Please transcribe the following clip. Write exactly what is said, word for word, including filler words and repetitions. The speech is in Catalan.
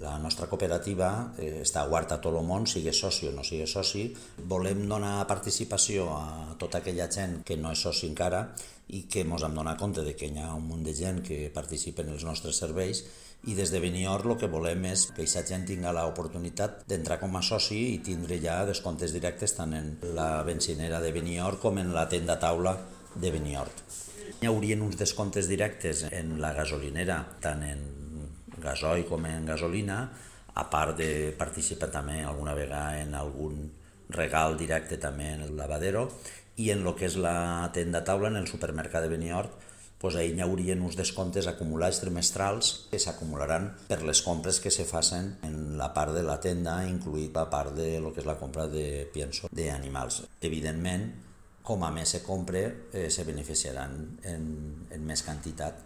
La nostra cooperativa eh, està oberta a tot el món, sigui soci o no sigui soci. Volem donar participació a tota aquella gent que no és soci encara i que ens hem donat compte de que hi ha un munt de gent que participa en els nostres serveis, i des de Benior el que volem és que aquesta gent tingui l'oportunitat d'entrar com a soci i tindre ja descomptes directes tant en la benzinera de Benior com en la tenda taula de Benior. Hi haurien uns descomptes directes en la gasolinera, tant en gasoil com en gasolina, a part de participar també alguna vegada en algun regal directe també en el lavadero, i en el que és la tenda taula, en el supermercat de Beniort, doncs ahir hi haurien uns descomptes acumulats trimestrals que s'acumularan per les compres que se facin en la part de la tenda, incluït la part de lo que és la compra de pienso d'animals. Evidentment, com a més se compre, eh, se beneficiaran en, en més quantitat.